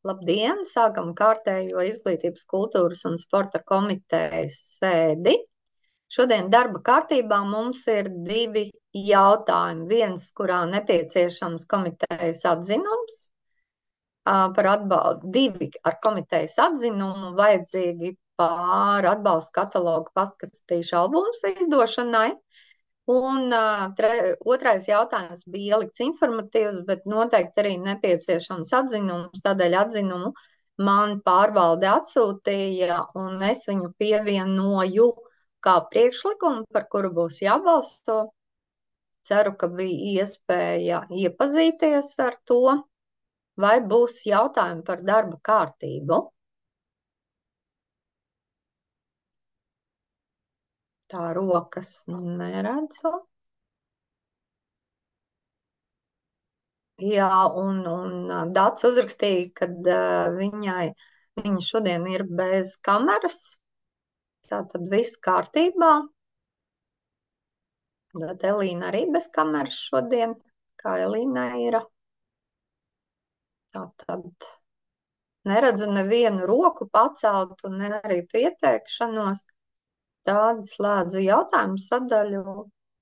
Labdien! Sākam kārtējo izglītības, kultūras un sporta komitejas sēdi. Šodien darba kārtībā mums ir divi jautājumi. Viens, kurā nepieciešams komitejas atzinums par atbalstu, divi ar komitejas atzinumu vajadzīgi pār atbalstu katalogu pastkastīšu albums izdošanai. Un otrais jautājums bija ielikts informatīvs, bet noteikti arī nepieciešams atzinums. Tādēļ atzinumu man pārvalde atsūtīja, un es viņu pievienoju kā priekšlikumu, par kuru būs jābalsto. Ceru, ka bija iespēja iepazīties ar to, vai būs jautājumi par darba kārtību. Tā rokas neredzu. Jā, un Dats uzrakstīja, ka viņa šodien ir bez kameras. Tātad viss kārtībā. Tad Elīna arī bez kameras šodien, kā Elīna ir. Tātad neredzu nevienu roku paceltu, ne arī pieteikšanos. Tad slēdzu jautājumu sadaļu,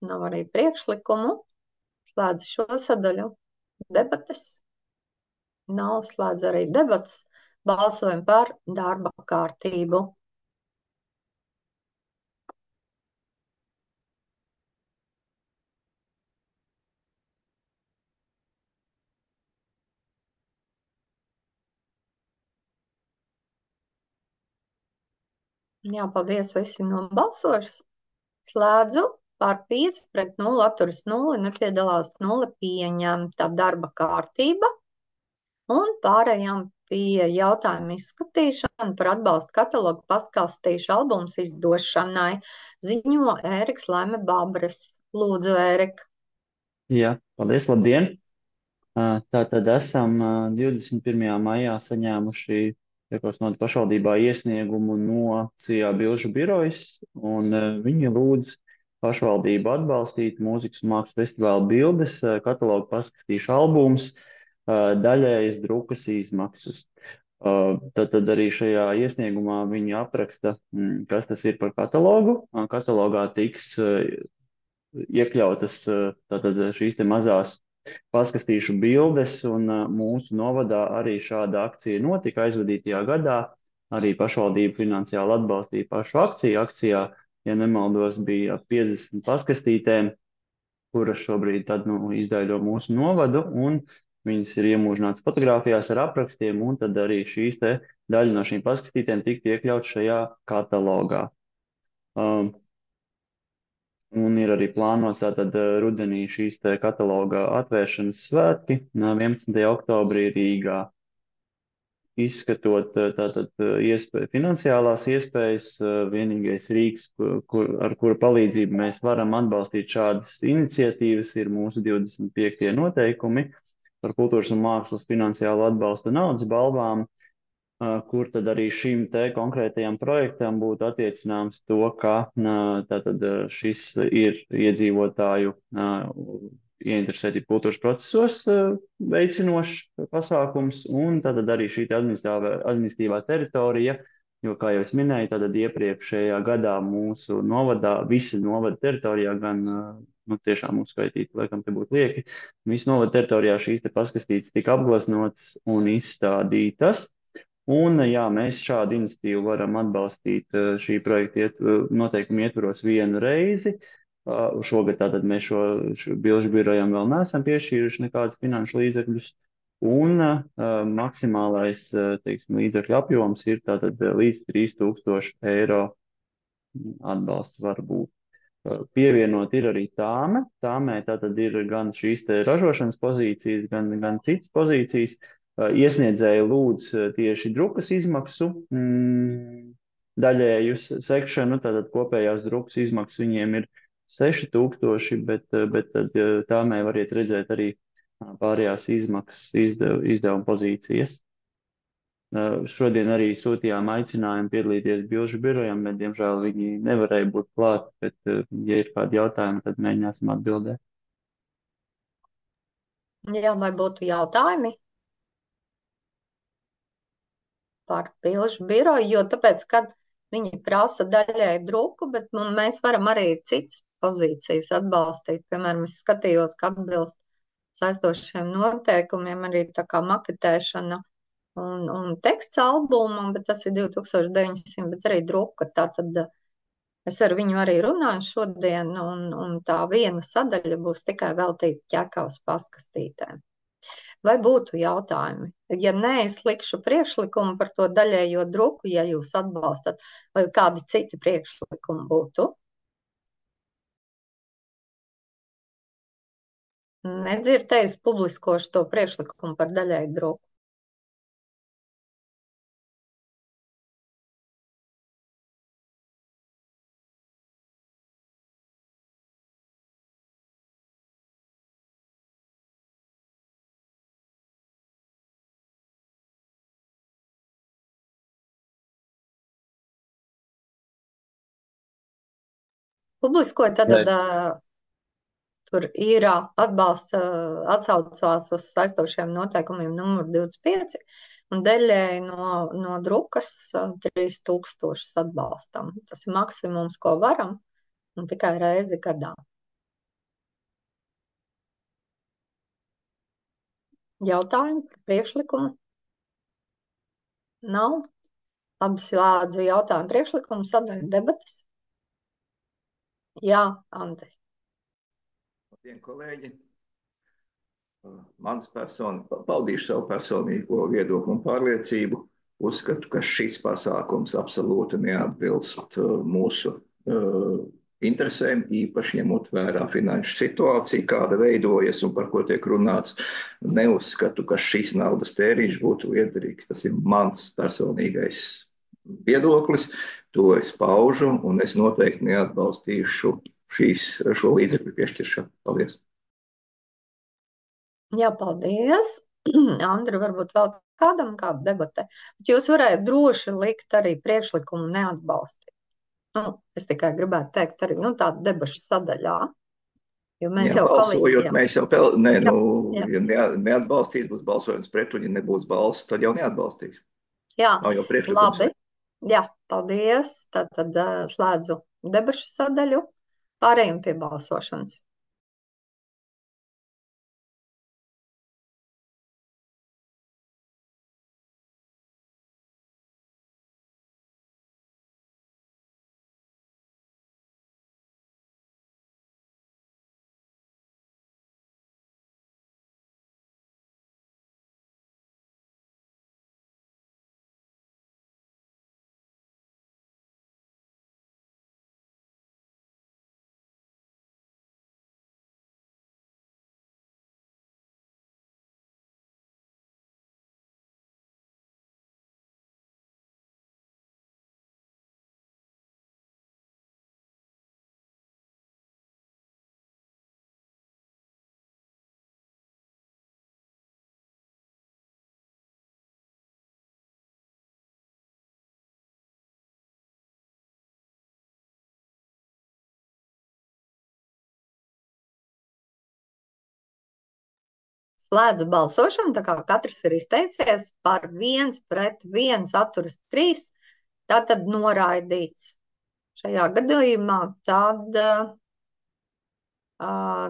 nav arī priekšlikumu. Slēdzu šo sadaļu. Debates nav, slēdzu arī debates, balsojam par darba kārtību. Jā, paldies, visi nobalsojuši. Slēdzu par 5 pret 0, atturas 0, nepiedalās 0, pieņemta darba kārtība. Un pārējām pie jautājuma izskatīšana par atbalstu katalogu pastkastīšu albums izdošanai. Ziņo Ēriks Laime Babres. Lūdzu, Ērika. Jā, paldies, labdien! Tātad esam 21. maijā saņēmuši Piekorsnoda pašvaldībā iesniegumu no CIA Bilžu birojas, un viņi lūdz pašvaldību atbalstīt mūzikas un mākslas festivāla bildes, katalogu paskastīšu albums, daļējas drukas izmaksas. Tad arī šajā iesniegumā viņi apraksta, kas tas ir par katalogu. Katalogā tiks iekļautas tātad šīs te mazās paskastīšu bildes, un mūsu novadā arī šāda akcija notika aizvadītajā gadā. Arī pašvaldība finansiāli atbalstīja pašu akciju. Akcijā, ja nemaldos, bija 50 paskastītēm, kuras šobrīd tad, izdaļo mūsu novadu, un viņas ir iemūžinātas fotogrāfijās ar aprakstiem, un tad arī šīs te daļa no šīm paskastītēm tika iekļauts šajā katalogā. Un ir arī plānots tātad rudenī šīs te kataloga atvēršanas svētki 11. oktobrī Rīgā. Izskatot tātad finansiālās iespējas, vienīgais rīks, ar kura palīdzību mēs varam atbalstīt šādas iniciatīvas, ir mūsu 25. noteikumi par kultūras un mākslas finansiālu atbalstu naudas balvām, kur tad arī šim te konkrētajam projektam būtu attiecināms to, ka tātad šis ir iedzīvotāju ieinteresētību kultūras procesos veicinošs pasākums, un tātad arī šī administratīvā teritorija, jo, kā jau es minēju, tātad iepriekšējā gadā mūsu novadā, visa novada teritorijā, gan tiešām uzskaitīt, laikam te būtu lieki, visu novada teritorijā šīs te paskastītes tika apgleznotas un izstādītas. Un, jā, mēs šādu iniciatīvu varam atbalstīt šī projekta noteikumu ietvaros vienu reizi. Šogad tātad mēs šo bilžu birojām vēl neesam piešķīruši nekādus finanšu līdzekļus. Un maksimālais, teiksim, līdzekļu apjoms ir tātad līdz 3000 eiro atbalsts var būt. Pievienot ir arī tāme. Tāmē tātad ir gan šīs te ražošanas pozīcijas, gan citas pozīcijas. Iesniedzēji lūdz tieši drukas izmaksu daļēju sekšanu, tātad kopējās drukas izmaksas viņiem ir 6000, bet tad tāmē variet redzēt arī pārējās izmaksas izdevuma pozīcijas. Šodien arī sūtījām aicinājumu piedalīties bilžu birojam, bet, diemžēl, viņi nevarēja būt klāt, bet, ja ir kādi jautājumi, tad mēģināsim atbildēt. Jā, vai būtu jautājumi? par bilžu biroju, jo tāpēc, kad viņi prasa daļai druku, bet mēs varam arī citas pozīcijas atbalstīt. Piemēram, es skatījos, ka atbilst saistošiem noteikumiem arī tā kā maketēšana un teksts albumam, bet tas ir 2900, bet arī druka. Tātad es ar viņu arī runāju šodien, un tā viena sadaļa būs tikai veltīta ķekavas pastkastītēm. Vai būtu jautājumi? Ja nē, es likšu priekšlikumu par to daļējo druku, ja jūs atbalstat, vai kādi citi priekšlikumi būtu? Nedzirdējis publiskošu to priekšlikumu par daļēju druku. Publiskoja, tad tur ir atbalsts atsaucās uz saistošiem noteikumiem numur 25, un daļēji no drukas 3000 atbalstam. Tas ir maksimums, ko varam, un tikai reizi gadā. Jautājumi par priekšlikumu? Nav. Labi, slēdzu jautājumu priekšlikumu sadaļu debatas. Jā, Andri. Labdien, kolēģi! Paudīšu savu personīgo viedokli un pārliecību. Uzskatu, ka šis pasākums absolūti neatbilst mūsu interesēm, īpaši ņemot vērā finanšu situāciju, kāda veidojas un par ko tiek runāts. Neuzskatu, ka šis naudas tēriņš būtu liederīgs. Tas ir mans personīgais viedoklis, to es paužu, un es noteikti neatbalstīšu šo līdzekļu piešķiršanu. Paldies! Jā, paldies! Andri, varbūt vēl kādam kāda debate, bet jūs varētu droši likt arī priekšlikumu neatbalstīt. Es tikai gribētu teikt arī tāda debašu sadaļā, jo mēs jau balsojot, mēs jau ja neatbalstīs, būs balsojums pret, un ja nebūs balss, tad jau neatbalstīs. Jā, Nav jau priekšlikums. labi. Jā, paldies. Tad slēdzu debašu sadaļu. Pārējiem pie balsošanas. Slēdzu balsošanu, tā kā katrs ir izteicies par 1 pret 1 atturas 3, tātad noraidīts. Šajā gadījumā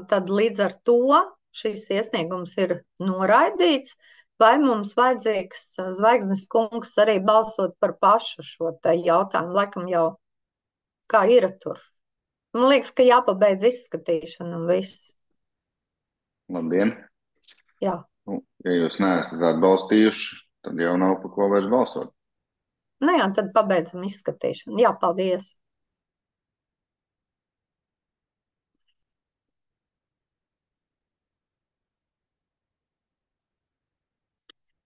tad līdz ar to šis iesniegums ir noraidīts. Vai mums vajadzīgs Zvaigznes kungs arī balsot par pašu šo te jautājumu? Laikam jau kā ir tur. Man liekas, ka jāpabeidz izskatīšana un viss. Labdien! Jā. Ja jūs neesat atbalstījuši, tad jau nav par ko vairs balsot. Jā, tad pabeidzam izskatīšanu. Jā, paldies.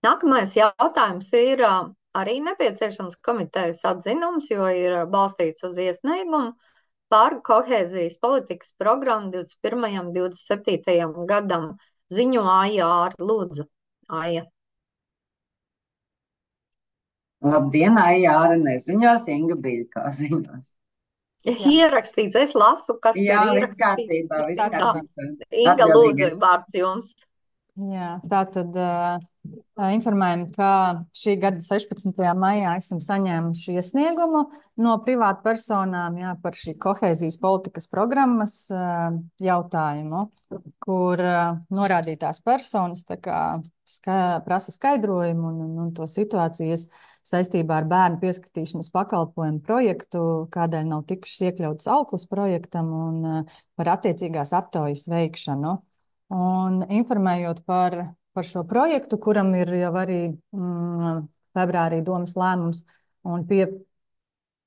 Nākamais jautājums ir arī nepieciešams komitejas atzinums, jo ir balstīts uz iesniegumu par kohēzijas politikas programmu 21. 27. gadam. Ziņo Aija Āra, lūdzu. Aija. Labdien, Aija Āra neziņos, Inga Biļkā ziņos. Ierakstīts, es lasu, kas Jā, ir viss kārtībā, viss kārtībā. Inga, lūdzu, vārds jums. Jā, tātad informējam, ka šī gada 16. maijā esam saņēmuši iesniegumu no privātpersonām par šī kohēzijas politikas programmas jautājumu, kur norādītās personas prasa skaidrojumu un to situācijas saistībā ar bērnu pieskatīšanas pakalpojumu projektu, kādēļ nav tikušas iekļautas auklas projektam un par attiecīgās aptaujas veikšanu. Un informējot par šo projektu, kuram ir jau arī februārī domas lēmums un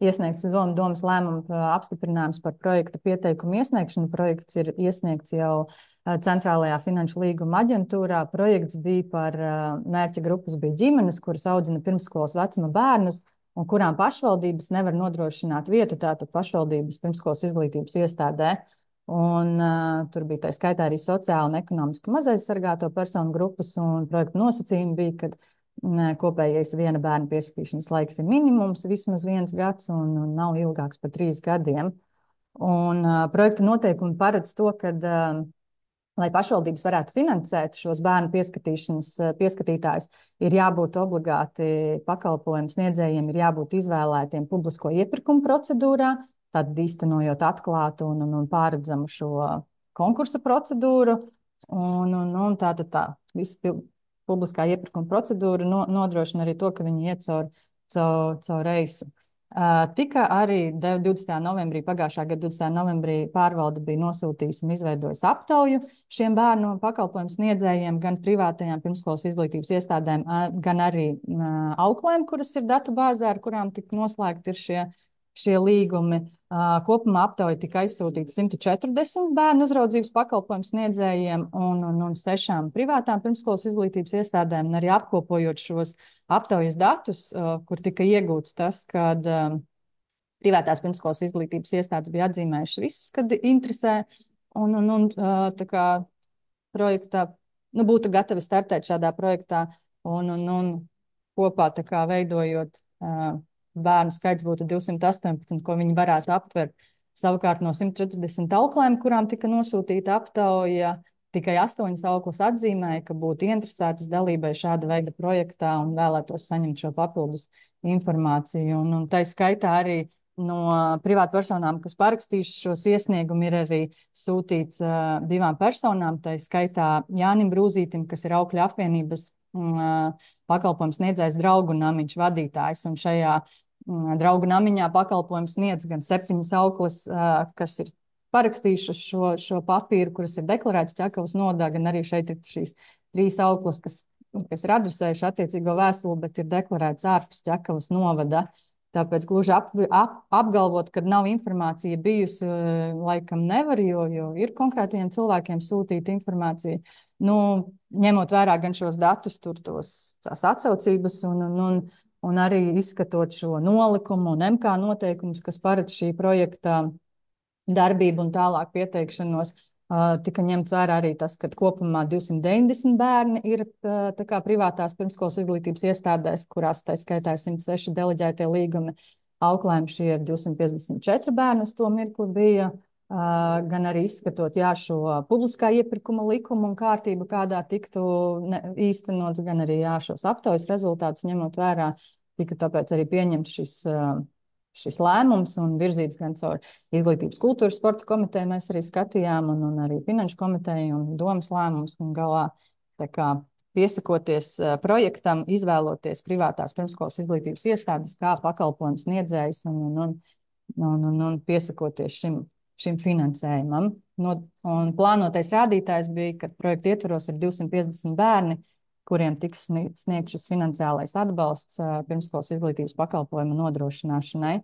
iesniegts domas lēmuma apstiprinājums par projekta pieteikumu iesniegšanu. Projekts ir iesniegts jau Centrālajā finanšu līguma aģentūrā. Projekts bija par mērķa grupas bija ģimenes, kuras audzina pirmsskolas vecuma bērnus un kurām pašvaldības nevar nodrošināt vietu, tātad pašvaldības pirmsskolas izglītības iestādē. Un tur bija tā skaitā arī sociāli un ekonomiski mazaizsargāto personu grupas, un projekta nosacījumi bija, ka kopējais viena bērna pieskatīšanas laiks ir minimums vismaz 1 gads un nav ilgāks par 3 gadiem. Un projekta noteikumi paredz to, ka, lai pašvaldības varētu finansēt šos bērnu pieskatītājus, ir jābūt obligāti pakalpojumu sniedzējiem, ir jābūt izvēlētiem publisko iepirkumu procedūrā, tad īstenojot atklātu un pāredzamu šo konkursa procedūru. Un tā visa publiskā iepirkuma procedūra nodrošina arī to, ka viņi iet caur reisu. Tika arī 20. novembrī, pagājušā gada 20. novembrī pārvalde bija nosūtījusi un izveidojusi aptauju šiem bērnu pakalpojumu sniedzējiem, gan privātajām pirmskolas izglītības iestādēm, gan arī auklēm, kuras ir datubāzē, ar kurām tika noslēgti ir šie līgumi. Kopumā aptauja tika aizsūtīta 140 bērnu uzraudzības pakalpojumu sniedzējiem un 6 privātām pirmskolas izglītības iestādēm, un arī apkopojot šos aptaujas datus, kur tika iegūts tas, kad privātās pirmskolas izglītības iestādes bija atzīmējušas visas, kad interesē, un tā kā projektā, būtu gatavi startēt šādā projektā, un kopā tā kā veidojot bērnu skaits būtu 218, ko viņi varētu aptvert. Savukārt no 140 auklēm, kurām tika nosūtīta aptauja, tikai 8 auklas atzīmēja, ka būtu interesētas dalībai šāda veida projektā un vēlētos saņemt šo papildus informāciju. Un tā skaitā arī no privātpersonām, kas parakstījuši šos iesniegumu, ir arī sūtīts 2 personām, tā skaitā Jānim Brūzītim, kas ir Aukļu apvienības pakalpojums sniedzējs Draugu namiņš vadītājs, un šajā Draugu namiņā pakalpojums sniedz gan 7 auklas, kas ir parakstījušas šo papīru, kuras ir deklarētas Ķekavas nodā, gan arī šeit ir šīs 3 auklas, kas ir adresējuši attiecīgo vēstuli, bet ir deklarētas ārpus Ķekavas novada. Tāpēc gluži apgalvot, ka nav informācija bijusi, laikam nevar, jo ir konkrētiem cilvēkiem sūtīta informācija. Ņemot vērā gan šos datus, tās atsaucības un arī izskatot šo nolikumu un MK noteikumus, kas paredz šī projekta darbību un tālāk pieteikšanos, tika ņemts vērā arī tas, ka kopumā 290 bērni ir tā kā privātās pirmskolas izglītības iestādēs, kurās tā skaitā 106 deleģētie līgumi. Auklēm šie ir 254 bērni uz to mirkli bija, gan arī izskatot šo publiskā iepirkuma likumu un kārtību, kādā tiktu īstenots, gan arī šos aptaujas rezultātus ņemot vērā, tika tāpēc arī pieņemts šis lēmums un virzīts gan caur Izglītības kultūras sporta komiteju mēs arī skatījām un arī Finanšu komiteju un domas lēmums un galā tā kā piesakoties projektam, izvēloties privātās pirmskolas izglītības iestādes kā pakalpojums sniedzējus un piesakoties šim finansējumam. Un plānotais rādītājs bija, ka projekta ietvaros ir 250 bērni, kuriem tiks sniegt šis finansiālais atbalsts pirmskolas izglītības pakalpojumu nodrošināšanai.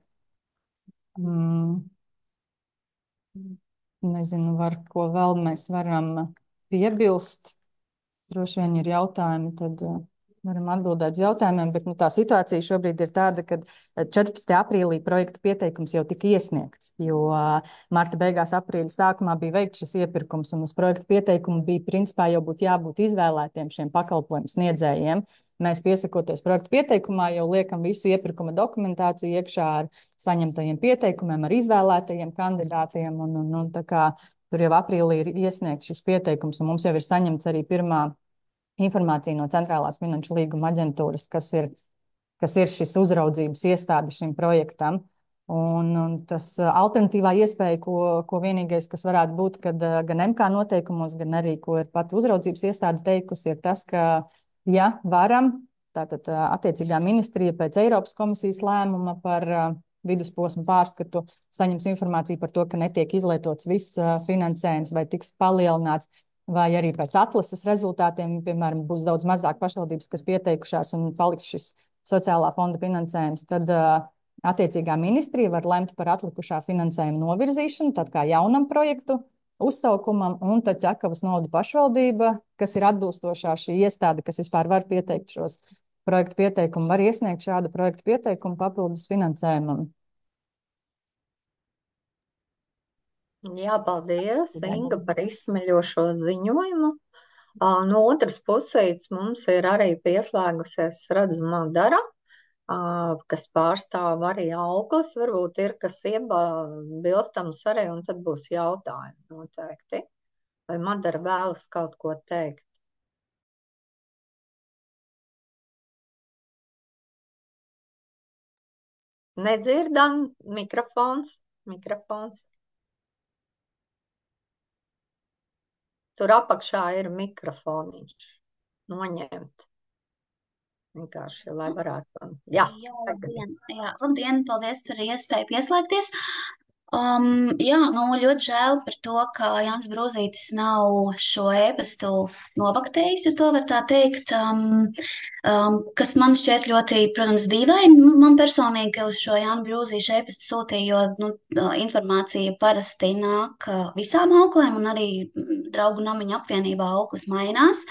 Nezinu, ko vēl mēs varam piebilst. Droši vien ir jautājumi, tad varam atbildēt uz jautājumiem, bet tā situācija šobrīd ir tāda, ka 14. aprīlī projekta pieteikums jau tika iesniegts, jo marta beigās aprīļa sākumā bija veikts šis iepirkums, un uz projekta pieteikumu bija principā jau jābūt izvēlētiem šiem pakalpojumu sniedzējiem. Mēs piesakoties projekta pieteikumā jau liekam visu iepirkuma dokumentāciju iekšā ar saņemtajiem pieteikumiem, ar izvēlētajiem kandidātiem, un tā kā tur jau aprīlī ir iesniegts šis pieteikums, un mums jau ir saņemts arī pirmā informāciju no Centrālās finanšu līguma aģentūras, kas ir šis uzraudzības iestāde šim projektam. Un tas alternatīvā iespēja, ko vienīgais, kas varētu būt, kad gan MK noteikumos, gan arī, ko ir pat uzraudzības iestāde teikusi, ir tas, ka, ja varam, tātad attiecīgā ministrija pēc Eiropas komisijas lēmuma par vidusposmu pārskatu saņems informāciju par to, ka netiek izlietots viss finansējums vai tiks palielināts, vai arī pēc atlases rezultātiem, piemēram, būs daudz mazāk pašvaldības, kas pieteikušās un paliks šis sociālā fonda finansējums, tad attiecīgā ministrija var lemt par atlikušā finansējuma novirzīšanu, tad kā jaunam projektu uzsaukumam, un tad Ķekavas novada pašvaldība, kas ir atbilstošā šī iestāde, kas vispār var pieteikt šos projektu pieteikumu, var iesniegt šādu projektu pieteikumu papildus finansējumam. Jā, paldies, Inga, par izsmeļošo ziņojumu. No otras puses mums ir arī pieslēgusies, redzu, Madara, kas pārstāv arī Auklis. Varbūt ir kas iebilstams arī, un tad būs jautājumi noteikti. Vai Madara vēlas kaut ko teikt? Nedzirdam, mikrofons. Tur apakšā ir mikrofoniņš noņemt. Vienkārši, lai varētu. Jā, labdien, paldies par iespēju pieslēgties. Ļoti žēl par to, ka Jānis Brūzītis nav šo ēpastu novaktējis, ja to var tā teikt, kas man šķiet ļoti, protams, dīvaini. Man personīgi, ka uz šo Jānu Brūzīšu ēpastu sūtīju, jo informācija parasti nāk visām auklēm, un arī draugu namiņu apvienībā auklis mainās.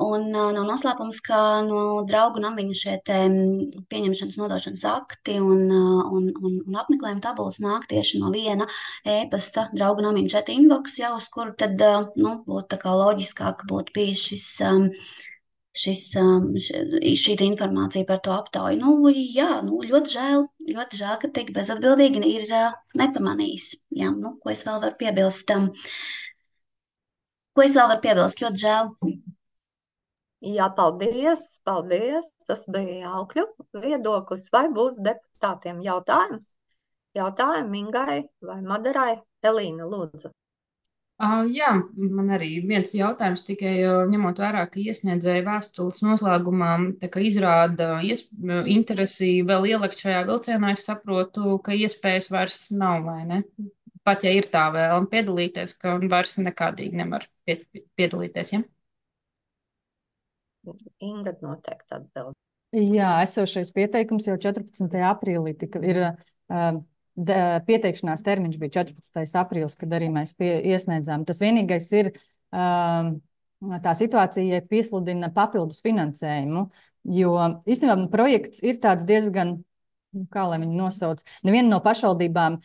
Un nav noslēpums, ka no draugu namiņa šie pieņemšanas nodošanas akti un apmeklējuma tabulas nāk tieši no viena ēpasta draugu namiņa chat inbox, jau uz kuru tad būtu tā kā loģiskāk būtu bijis šī informācija par to aptauju. Ļoti žēl, ka tik bezatbildīgi ir nepamanījis. Jā, ko es vēl varu piebilst? Ļoti žēl. Jā, paldies. Tas bija Aukļu viedoklis. Vai būs deputātiem jautājums? Jautājumi Ingai vai Madarai? Elīna, lūdzu. Jā, man arī viens jautājums, tikai ņemot vērā, ka iesniedzēja vēstules noslēgumā izrāda interesi vēl ielikt šajā vilcienā, es saprotu, ka iespējas vairs nav, vai ne? Pat ja ir tā vēlme piedalīties, ka vairs nekādīgi nevar piedalīties, ja? Inga noteikti atbild. Jā, esošais pieteikums jau 14. aprīlī ir pieteikšanās termiņš bija 14. aprīlis, kad arī mēs iesniedzām. Tas vienīgais ir tā situācija, ja piesludina papildus finansējumu, jo īstenībā projekts ir tāds diezgan, kā lai viņu nosauc, neviena no pašvaldībām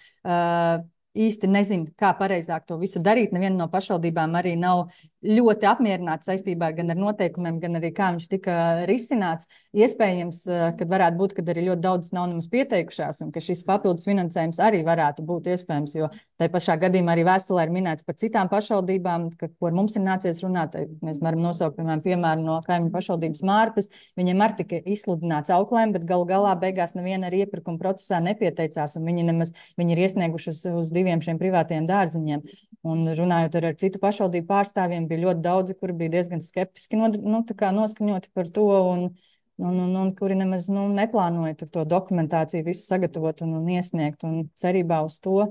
īsti nezinu, kā pareizāk to visu darīt. Neviena no pašvaldībām arī nav ļoti apmierināta saistībā gan ar noteikumiem, gan arī kā viņš tika risināts. Iespējams, kad varētu būt, kad arī ļoti daudz nav nemaz pieteikušās, un ka šis papildus finansējums arī varētu būt iespējams, jo tai pašā gadījumā arī vēstulē ir minēts par citām pašvaldībām, ko mums ir nācies runāt. Mēs varam nosaukt, piemēram, no kaimiņu pašvaldības Mārpas. Viņiem arī tika izsludināts auklēm, bet galu galā beigās neviena arī iepirkuma procesā nepieteicās, un viņi ir iesnieguši uz diviem šiem privātajiem dārziņiem. Un runājot ar citu pašvaldību pārstāvjiem, bija ļoti daudzi, kuri bija diezgan skeptiski noskaņoti par to, un kuri nemaz neplānoja tur to dokumentāciju visu sagatavot un iesniegt. Un cerībā uz to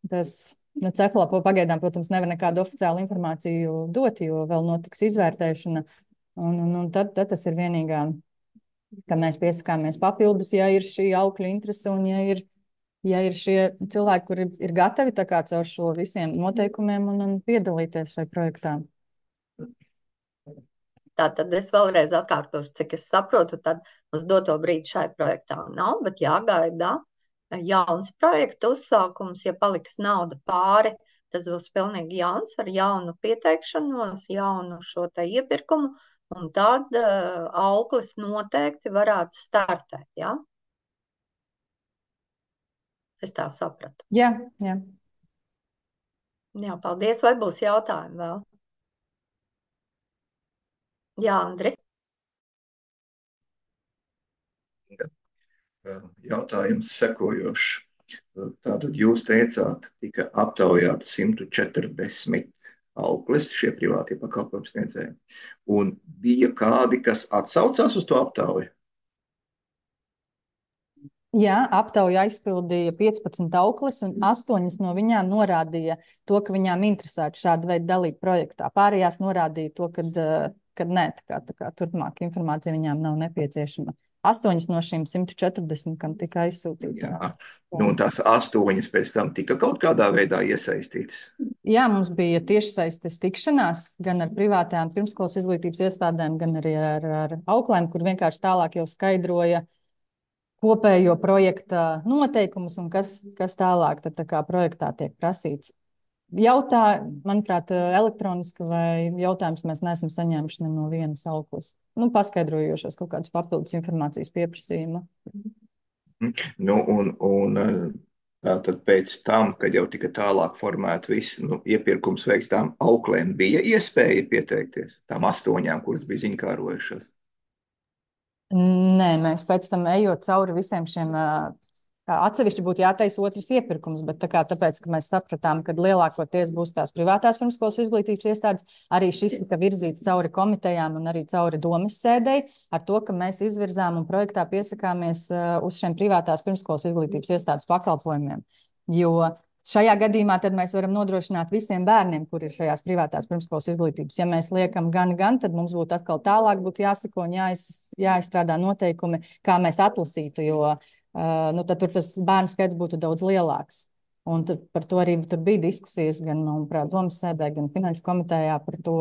tas Cefalā pagaidām, protams, nevar nekādu oficiālu informāciju dot, jo vēl notiks izvērtēšana. Un tad tas ir vienīgā, ka mēs piesakāmies papildus, ja ir šī aukļu interese un ja ir šie cilvēki, kuri ir gatavi tā kā caur šo visiem noteikumiem un piedalīties šai projektā. Tātad es vēlreiz atkārtošu, cik es saprotu, tad uz doto brīdi šai projektā nav, bet jāgaida jauns projekta uzsākums. Ja paliks nauda pāri, tas būs pilnīgi jauns ar jaunu pieteikšanos, jaunu šo te iepirkumu, un tad auklis noteikti varētu startēt, jā? Es tā sapratu. Jā. Jā, paldies. Vai būs jautājumi vēl? Jā, Andri. Jautājums sekojošs. Tātad jūs teicāt, tika aptaujāti 140 auklis, šie privātie pakalpojumu sniedzēji. Un bija kādi, kas atsaucās uz to aptauju? Jā, aptauja aizpildīja 15 auklis, un 8 no viņām norādīja to, ka viņām interesētu šāda veida dalība projektā. Pārējās norādīja to, ka nē, tā kā turpmāk informācija viņām nav nepieciešama. 8 no šīm 140, kam tika aizsūtīta. Jā, nu, un tās 8 pēc tam tika kaut kādā veidā iesaistītas. Jā, mums bija tiešsaistes tikšanās gan ar privātajām pirmskolas izglītības iestādēm, gan arī ar auklēm, kur vienkārši tālāk jau skaidroja kopējo projekta noteikumus un kas tālāk tad tā kā projektā tiek prasīts. Manuprāt, elektroniski vai jautājums mēs neesam saņēmuši ne no vienas auklas. Nu, paskaidrojošos kaut kādus papildus informācijas pieprasījumu. Nu, un tātad pēc tam, kad jau tika tālāk formēta viss iepirkums veikts, tām auklēm bija iespēja pieteikties, tām 8, kuras bija ziņkārojušās. Nē, mēs pēc tam ejot cauri visiem šiem, atsevišķi būtu jātaisa otrs iepirkums, bet tāpēc, ka mēs sapratām, ka lielākoties būs tās privātās pirmskolas izglītības iestādes, arī šis tika virzīts cauri komitejām un arī cauri domes sēdei, ar to, ka mēs izvirzām un projektā piesakāmies uz šiem privātās pirmskolas izglītības iestādes pakalpojumiem. Jo šajā gadījumā tad mēs varam nodrošināt visiem bērniem, kur ir šajās privātās pirmskolas izglītības. Ja mēs liekam gan, tad mums būtu atkal tālāk jāsako un jāizstrādā noteikumi, kā mēs atlasītu, jo tad tur tas bērnu skaits būtu daudz lielāks. Un par to arī tur bija diskusijas gan, manuprāt, domas sēdē, gan finanšu komitejā par to,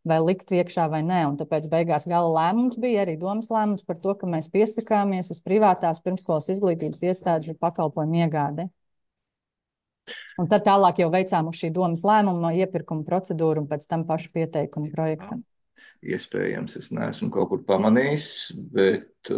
vai likt iekšā vai nē. Un tāpēc beigās gala lēmums bija arī domas lēmums par to, ka mēs piesakāmies uz privātās pirmskolas izglītības iestāžu pakalpojumu iegādi. Un tad tālāk jau veicām uz šī domas lēmumu no iepirkuma procedūru un pēc tam pašu pieteikumu projektam. Iespējams, es neesmu kaut kur pamanījis, bet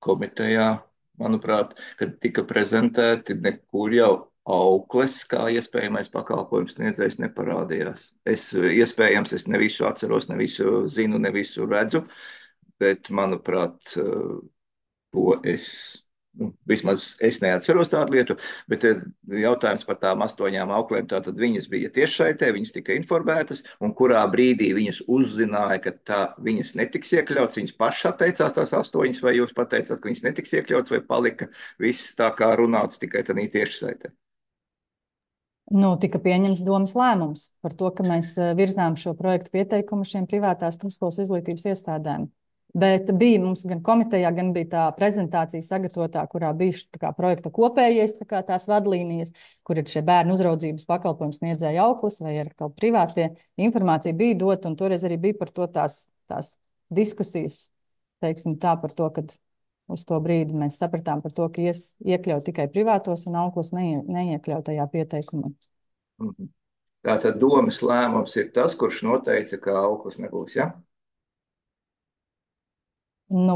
komitejā, manuprāt, kad tika prezentēti, nekur jau aukles kā iespējamais pakalpojums sniedzējs neparādījās. Iespējams, es ne visu atceros, ne visu zinu, ne visu redzu, bet, manuprāt, to vismaz es neatceros tādu lietu, bet jautājums par tām 8 auklēm, tātad viņas bija tiešsaitē, viņas tika informētas, un kurā brīdī viņas uzzināja, ka viņas netiks iekļauts, viņas pašas atteicās tās 8, vai jūs pateicāt, ka viņas netiks iekļauts, vai palika viss tā kā runāts tikai tādā tiešsaitē? Tika pieņemts domas lēmums par to, ka mēs virzām šo projektu pieteikumu šiem privātās pirmskolas izglītības iestādēm. Bet bija mums gan komitejā, gan bija tā prezentācija sagatavotā, kurā bija projekta kopējais tās vadlīnijas, kur ir šie bērnu uzraudzības pakalpojums sniedzēja auklis vai ar kaut privātie. Informācija bija dota, un toreiz arī bija par to tās diskusijas, teiksim tā, par to, kad uz to brīdi mēs sapratām par to, ka iekļaut tikai privātos un auklis neiekļaut tajā pieteikumā. Tātad domas lēmums ir tas, kurš noteica, ka auklis nebūs, ja?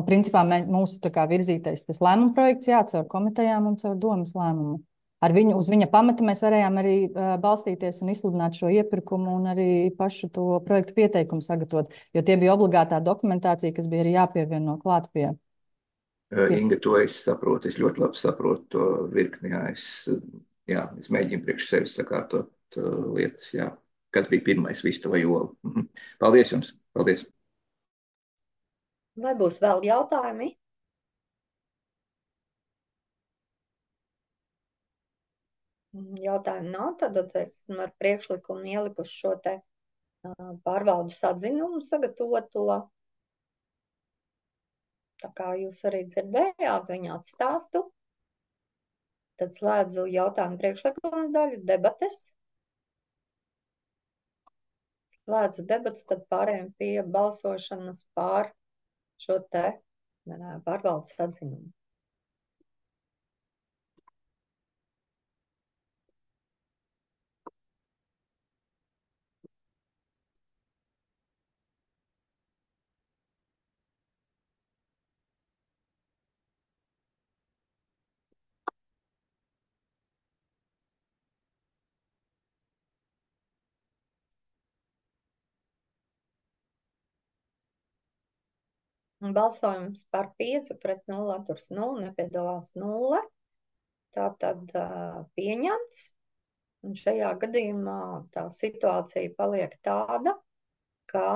Principā mūsu virzītais tas lēmuma projekts caur komitejām un caur domas lēmumu. Uz viņa pamata mēs varējām arī balstīties un izsludināt šo iepirkumu un arī pašu to projektu pieteikumu sagatavot, jo tie bija obligātā dokumentācija, kas bija arī jāpievieno klāt pie. Inga, to es saprotu, es ļoti labi saprotu to virkni, es mēģinu priekš sevis sakārtot lietas, kas bija pirmais, vista vai ola. Paldies jums, paldies! Vai būs vēl jautājumi? Jautājumu nav, tad esmu ar priekšlikumu ielikuši šo te pārvaldes atzinumu sagatavoto. Tā kā jūs arī dzirdējāt viņa atstāstu, tad slēdzu jautājumu priekšlikumu daļu debates. Slēdzu debates, tad pārējām pie balsošanas pār šo te pārvaldes atzinumu. Balsojums par 5 pret 0, atturs 0, nepiedalās 0. Tātad pieņemts. Un šajā gadījumā tā situācija paliek tāda, ka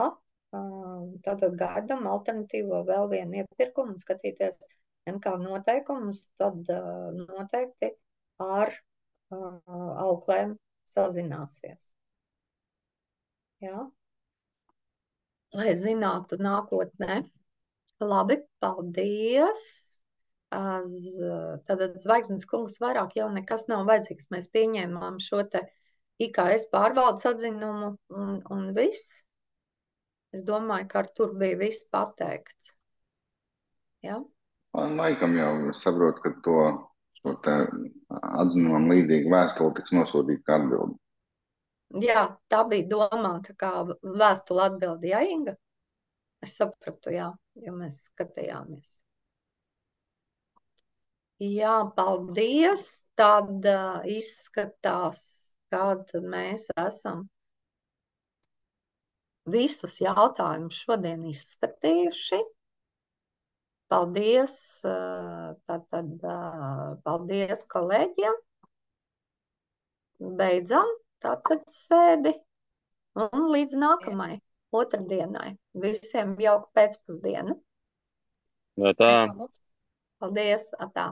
tātad gaidām alternatīvo vēl vienu iepirkumu un skatīties MK noteikumus, tad noteikti ar auklēm sazināsies. Jā? Lai zinātu nākotnē. Labi, paldies. Tātad Zvaigznes kungs vairāk jau nekas nav vajadzīgs. Mēs pieņēmām šo te IKS pārvaldes atzinumu un viss. Es domāju, ka ar tur bija viss pateikts. Ja? Laikam jau es saprotu, ka šo te atzinumam līdzīgu vēstuli tiks nosūtīta kā atbildi. Jā, tā bija domāta kā vēstule atbildi, jā, Inga? Es sapratu, jā, jo mēs skatījāmies. Jā, paldies. Tad izskatās, kad mēs esam visus jautājumus šodien izskatījuši. Paldies, paldies kolēģiem. Beidzam tātad sēdi un līdz nākamai otrdienai. Visiem jauku pēcpusdienu. Tā. Paldies, atā.